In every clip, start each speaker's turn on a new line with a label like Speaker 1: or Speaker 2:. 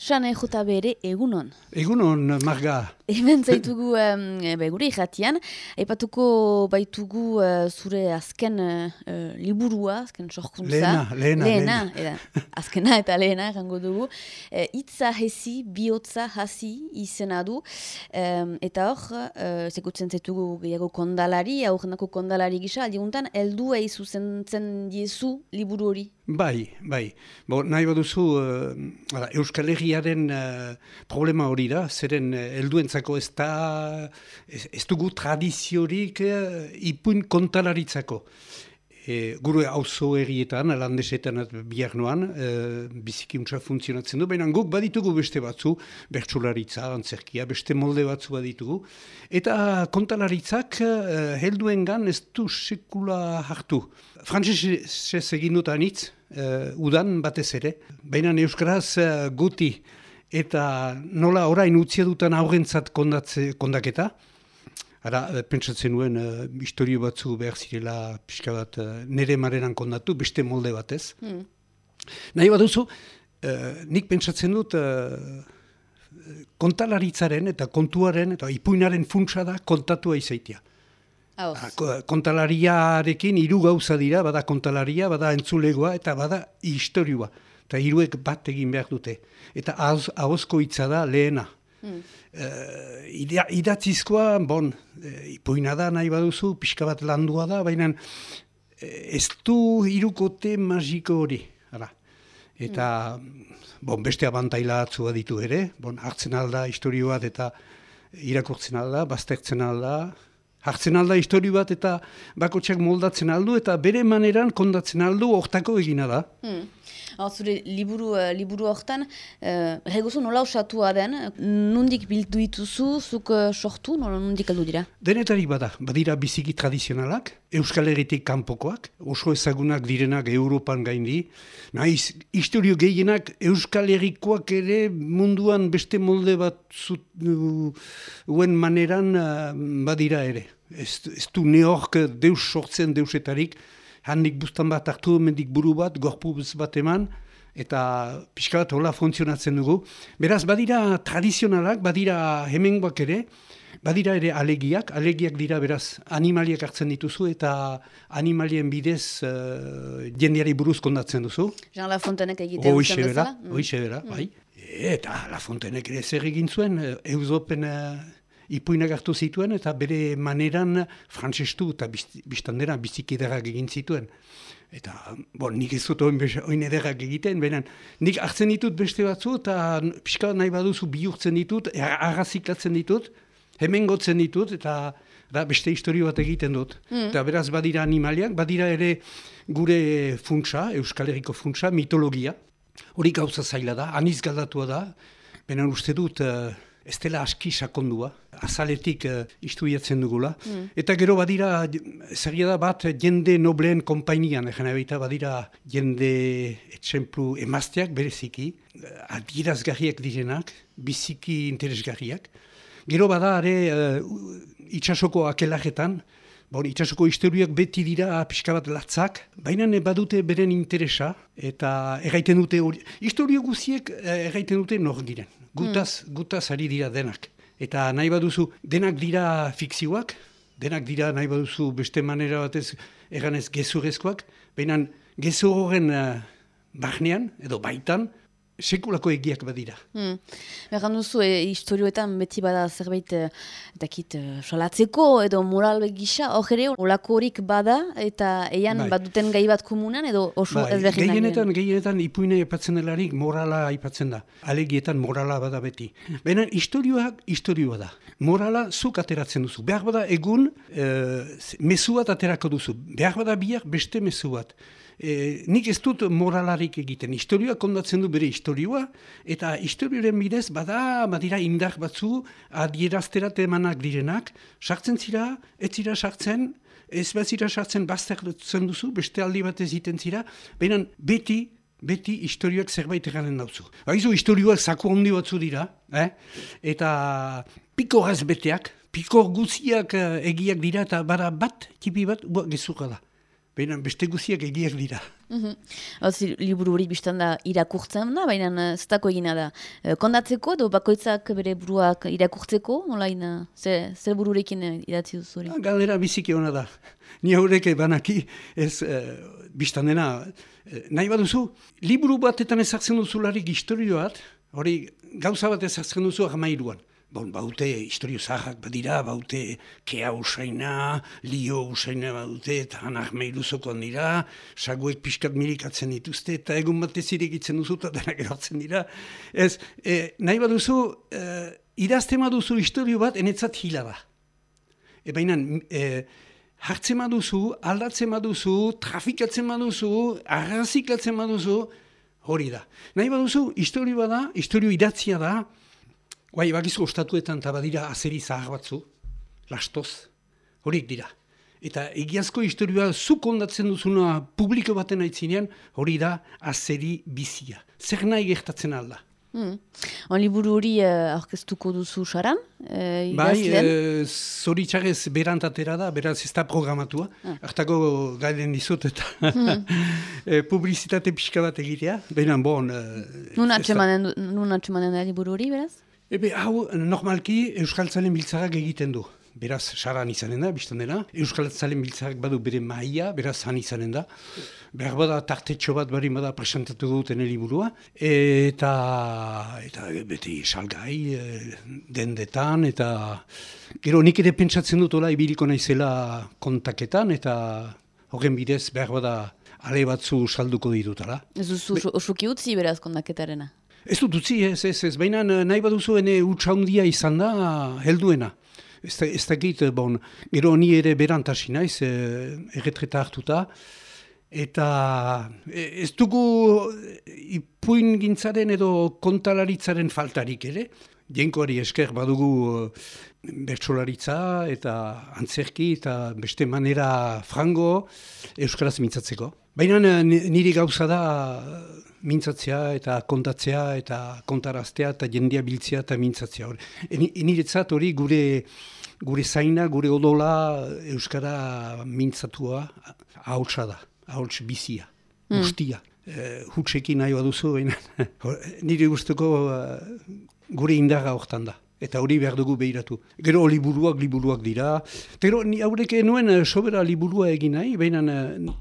Speaker 1: Xane jota bere egunon.
Speaker 2: Egunon, Marga.
Speaker 1: Hemen zaitugu gure irratian. Aipatuko baitugu zure azken liburua, azken sorkuntza.
Speaker 2: Lehena.
Speaker 1: Azkena eta lehena, errango dugu. Hitza hezi, bihotza hasi izena du. Eta hor, zekutzen zaitugu gehiago kondalari, aurrenako kondalari gisa, aldiguntan, helduei zuzentzen diezu liburu hori.
Speaker 2: Bai. Nahi baduzu, Euskal Herriaren problema hori da, zeren helduentzako ez dugu tradiziorik ipuin kontalaritzako. Gure auzo herrietan, landesetan bihar noan, biziki untsa funtzionatzen du, baina guk baditugu beste batzu, bertsolaritza, antzerkia, beste molde batzu baditugu, eta kontalaritzak helduengan ez du sekula hartu. Frantsesez egin dut anitz, udan batez ere, baina euskaraz guti eta nola orain utzia dutan aurrentzat kondaketa. Ara, pentsatzen nuen, historio batzu behar zirela pixka bat nire marenan kondatu, beste molde batez. Nahi baduzu, nik pentsatzen dut kontalaritzaren eta kontuaren eta ipuinaren funtsa da kontatua izaitia. Kontalariarekin hiru gauza dira, bada kontalaria, bada entzulegoa eta bada historioa. Eta hiruek bat egin behar dute. Eta ahozko hitza da lehena. Idatzizkoa, ipuina da nahi baduzu, pixka bat landua da, baina ez du hirukote magiko hori. Eta beste abantaila atzua ditu ere, hartzen alda historio bat eta irakurtzen alda, baztertzen alda, hartzen alda historio bat eta bakotxak moldatzen aldu eta bere maneran kondatzen aldu hortako egina da.
Speaker 1: Zure liburu hortan, eguzu nola osatua den, nondik bildu dituzu, zuk sortu, nondik aldu dira?
Speaker 2: Denetarik badira biziki tradizionalak, Euskal Herritik kanpokoak, oso ezagunak direnak Europan gaindi, nahiz, historio gehienak Euskal Herrikoak ere munduan beste molde bat zuen maneran badira ere. Ez du neork deus sortzen deusetarik, handik bustan bat hartu, mendik buru bat, gorpuz bat eman, eta pixka bat hola funtzionatzen dugu. Beraz, badira tradizionalak, badira hemengoak ere, badira ere alegiak dira beraz animaliak hartzen dituzu, eta animalien bidez jendeari buruz kondatzen duzu.
Speaker 1: Jean Lafontainek egiten duten bezala?
Speaker 2: Hoixe bera, bai. Eta Lafontainek ere zer egin zuen, Eusopen ipuinak hartu zituen eta bere maneran frantsestu eta biztandera biziki ederrak egin zituen. Eta, nik ez dut oin ederrak egiten, baina nik hartzen ditut beste batzu eta pixka nahi baduzu bihurtzen ditut, arraziklatzen ditut, hemen gotzen ditut eta beste historio bat egiten dut. Eta beraz badira animaliak, badira ere gure funtsa, Euskal Herriko funtsa, mitologia. Hori gauza zaila da, aniz galdatua da, baina uste dut ez dela aski sakondua, azaletik istuiatzen dugula. Eta gero badira, zaila da bat, jende nobleen konpainian, badira jende etxemplu emazteak bereziki, adierazgarriak direnak, biziki interesgarriak. Gero bada ere itxasoko akelajetan, itxasoko historiak beti dira pixka bat latzak, baina badute beren interesa, eta erraiten dute hori, historio guziek erraiten dute nor diren. Gutaz ari dira denak. Eta nahi baduzu, denak dira fikzioak, denak dira nahi baduzu beste manera batez erganez gezurrezkoak, baina gezur horren barnean, edo baitan, sekulako egiak badira.
Speaker 1: Erran duzu, historioetan beti bada zerbait salatzeko edo moral gisa, hor ere, olako horik bada, eta eian baduten gai bat komunan, edo oso ezberdinak?
Speaker 2: Gehienetan ipuine aipatzen delarik morala aipatzen da. Alegietan morala bada beti. Baina historioa da. Morala zuk ateratzen duzu. Behar bada egun mezu bat aterako duzu. Behar bada bihar beste mezu bat. Nik ez dut moralarik egiten. Historioa kondatzen du bere historioa, eta historioaren bidez badira indar batzu adierazterat emanak direnak, sartzen zira, ez zira sartzen, ez bat zira sartzen baztertzen duzu, beste aldi bat ez iten zira, baina beti historioak zerbait eganen dauzu. Haizu, historioak zaku handi batzu dira, eta pikoraz beteak, pikor guziak egiak dira, eta bada bat, tipi bat, gezurra da. baina beste guziak egiak dira.
Speaker 1: Liburu hori biztan da irakurtzen da, baina zertako egina da. Kondatzeko, edo bakoitzak bere buruak irakurtzeko, olain, zer bururekin idatzi duzu hori?
Speaker 2: Galdera biziki hona da. Ni haurek banaki ez biztan dena. Nahi baduzu, liburu batetan ezartzen duzularik historio bat, hori gauza bat ezartzen duzu 13an. Baute historio zaharrak badira, baute kea usaina, lio usaina baute, eta hanak meiruzokon dira, saguek pixkat milikatzen dituzte, eta egun batez irekitzen duzu, eta denak erotzen dira. Ez, nahi baduzu, idazten baduzu historio bat, enetzat hila da. Baina, hartzen baduzu, aldatzen baduzu, trafikatzen baduzu, arraziklatzen baduzu, hori da. Nahi baduzu, historio bada, historio idatzia da, guai, bakizu ostatuetan eta badira azeri zahar batzu, lastoz, horiek dira. Eta egiazko historioa zuk ondatzen duzuna publiko baten aitzinean, hori da azeri bizia. Zer nahi gertatzen alda.
Speaker 1: Liburu hori aurkeztuko duzu saran?
Speaker 2: Bai, zoritxarrez berantatera da, beraz ez da programatua. Artako gailen dizut eta publizitate pixka bat egitea. Baina bon...
Speaker 1: Nun atxemanen da liburu hori, beraz?
Speaker 2: Hau, normalki Euskaltzalen biltzarak egiten du. Beraz, saran izanen da, biztan dena. Euskaltzalen biltzarak badu bere maia, beraz, han izanen da. Behar bada tartetxo bat bari bada presentatu duten liburua. Eta beti salgai, dendetan, eta... Gero, nik ere pentsatzen dut, ibiliko naizela kontaketan, eta horren bidez behar bada ale batzu salduko ditutala.
Speaker 1: Ez duzu osuki utzi beraz kontaketarena?
Speaker 2: Ez dut utzi, ez. Baina nahi baduzu ene utxaundia izan da helduena. Ez dakit, gero ni ere berantasi naiz, erretreta hartuta. Eta ez dugu ipuin gintzaren edo kontalaritzaren faltarik ere. Jenkoari esker badugu bertsolaritza eta antzerki eta beste manera frango euskaraz mintzatzeko. Baina niri gauza da mintzatzea eta kontatzea eta kontaraztea eta jendea biltzea eta mintzatzea. Niretzat hori gure zaina, gure odola euskara mintzatua ahotsa da, ahots bizia, guztia. Hutsekin nahi baduzu, baina nire guztuko gure indarra hortan da. Eta hori behar dugu behiratu. Gero liburuak dira. Gero haurek nuen sobera liburua egin nahi, baina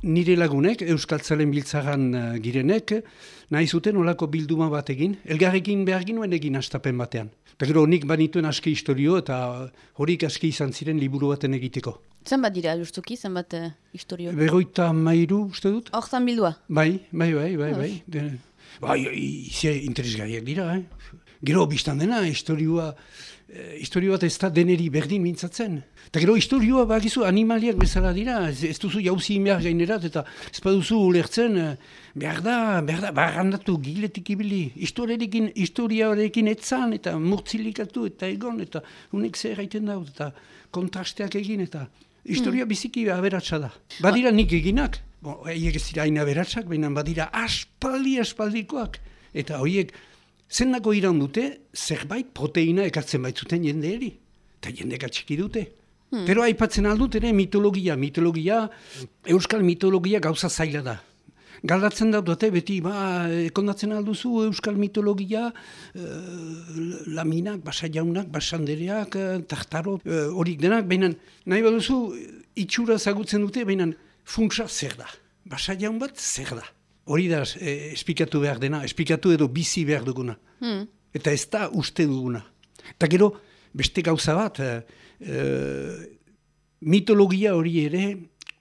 Speaker 2: nire lagunek, Euskaltzalen biltzaran girenek, nahi zuten olako bilduma bat egin. Elgarrekin behar ginuen egin astapen batean. Eta gero nik banituen aski historio eta horik aski izan ziren liburu baten egiteko.
Speaker 1: Zenbat dira, justuki, zenbat historio?
Speaker 2: 53 uste dut.
Speaker 1: Hortan bildua?
Speaker 2: Bai. Interesgarriak dira, Gero biztan dena, historioa bat ez da deneri berdin mintzatzen. Eta gero historioa bakizu animaliak bezala dira, ez duzu jauzi behar gainerat, eta ez baduzu ulertzen, behar da, barrandatu giletik ibili, historiarekin etzan, eta murtzilikatu, eta egon, eta unek zer gaiten daut, eta kontrasteak egin, eta historia biziki aberatsa da. Badira nik eginak, haiek ez dira hain aberatsak, baina badira aspaldikoak, eta horiek, zendako iran dute, zerbait proteina ekartzen baitzuten jendeeri. Eta jendek atxiki dute. Pero aipatzen aldut ere mitologia, euskal mitologia gauza zaila da. Galdatzen dute beti, kondatzen alduzu euskal mitologia, laminak, basajaunak, basandereak, tartaro, horik denak, baina nahi baduzu itxura zagutzen dute, baina funtsa zer da. Basajaun bat zer da. Hori da esplikatu behar dena, esplikatu edo bizi behar duguna. Eta ez da uste duguna. Eta gero, beste gauza bat, mitologia hori ere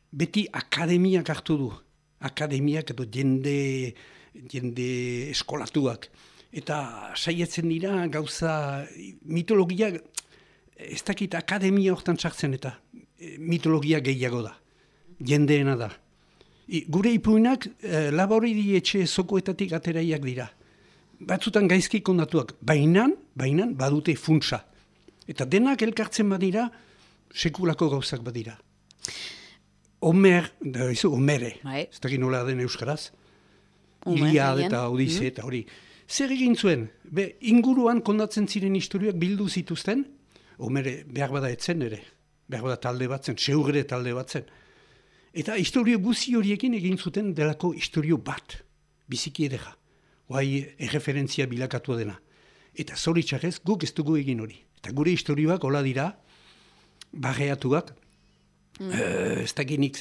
Speaker 2: beti akademiak hartu du. Akademiak edo jende eskolatuak. Eta saietzen dira gauza mitologia, ez dakit akademia hortan sartzen eta mitologia gehiago da. Jendeena da. Gure ipuinak laboridi etxe zokoetatik ateraiak dira. Batzutan gaizki kondatuak, baina badute funtsa. Eta denak elkartzen badira, sekulako gauzak badira. Homere, ez dakit nola den euskaraz. Iliad eta Odise eta hori. Zer egin zuen? Inguruan kondatzen ziren historiak bildu zituzten, Homere behar bada etzen ere, behar bada talde batzen, seugre talde batzen. Eta historio guzi horiekin egin zuten delako historio bat, biziki edera. Guai erreferentzia bilakatua dena. Eta zoritxarrez guk ez dugu egin hori. Eta gure historioak hola dira, barreatuak, ez dakinik,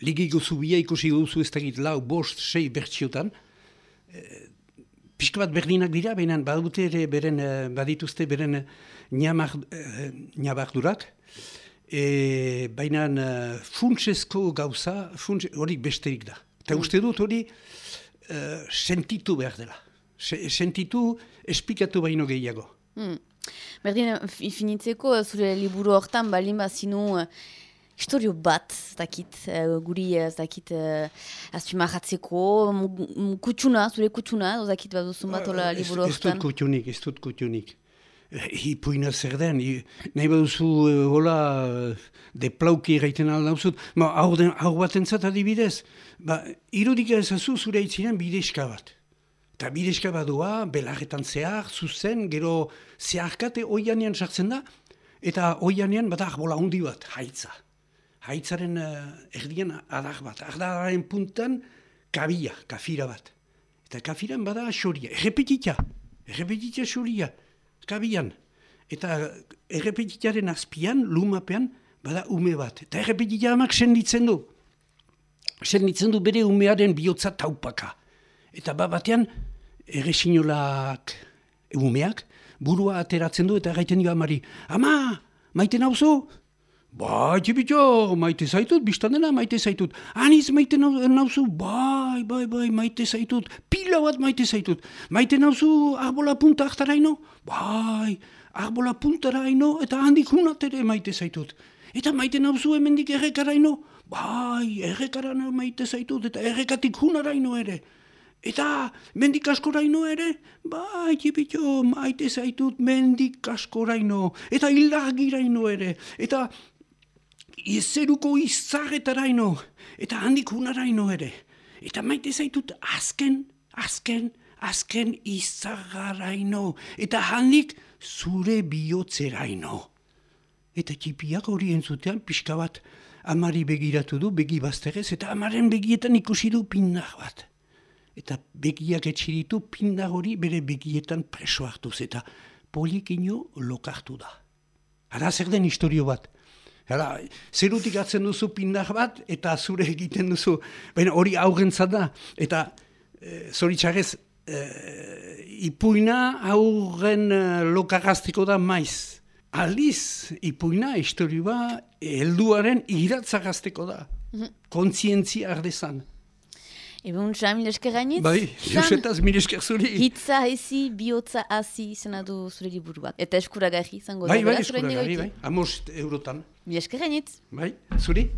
Speaker 2: ligiko zubia ikusi duzu ez dakit 4, 5, 6 bertsiotan, pixka bat berdinak dira, baina badituzte beren ñabardurak, baina funtsezko gauza, hori besterik da. Eta uste dut hori sentitu behar dela. Sentitu, esplikatu baino gehiago.
Speaker 1: Berdin, finitzeko, zure liburu hortan, balin bazinu historio bat, guri, azpimarratzeko, zure kutsuna, baduzun bat ola liburu hortan.
Speaker 2: Ez dut kutxunik. Ipuina zer den, nahi baduzu hola deplauki erraiten aldauzut, hau bat entzat adibidez, irudik ezazu zure itziren bideska bat. Eta bideska badua, belarretan zehar, zuzen, gero zeharkate oianean sartzen da, eta oianean bada arbola handi bat, haitza. Haitzaren erdian adar bat, adararen puntan kabia, kafira bat. Eta kafiran bada xoria, errepetitza xoria, kabian. Eta errepetitaren azpian, lumapean, bada ume bat. Eta errepetitza amak senditzen du bere umearen bihotza taupaka. Eta batean, erresinolak umeak, burua ateratzen du eta gaiten dio amari, ama, maite nauzu? Bai, txipitxo, maite zaitut, biztan dena maite zaitut. Aniz maite nauzu? Bai, maite zaitut. Pila bat maite zaitut. Maite nauzu arbola punta hartaraino? Bai, arbola puntaraino eta handik hunat ere maite zaitut. Eta maite nauzu hemendik errekaraino? Bai, errekarano maite zaitut eta errekatik hunaraino ere. Eta mendik askoraino ere? Bai, txipitxo, maite zaitut mendik askoraino. Eta hilagiraino ere. Eta zeruko izarretaraino. Eta handik hunaraino ere. Eta maite zaitut azken izarraraino. Eta handik zure bihotzeraino. Eta txipiak hori entzutean pixka bat amari begiratu du, begi bazterrez, eta amaren begietan ikusi du pindar bat. Eta begiak etxiritu pindar hori bere begietan preso hartuz eta polikino lokartu da. Hara zer den historio bat. Hara, zerutik atzen duzu pindar bat eta zure egiten duzu. Baina hori aurrentzat da. Eta zoritxarrez ipuina aurren lokarraztiko da maiz. Aldiz, ipuina historioa helduaren iratzagazteko da. Kontzientzia ardezan.
Speaker 1: Egun, mil esker gainitz?
Speaker 2: Bai, josetaz mil esker zuri.
Speaker 1: Hitza hezi, bihotza hazi izena du zure liburuak. Eta eskuragarri izango da.
Speaker 2: Bai, eskuragarri, bai. 5 eurotan.
Speaker 1: Mil esker gainitz?
Speaker 2: Bai, zuri.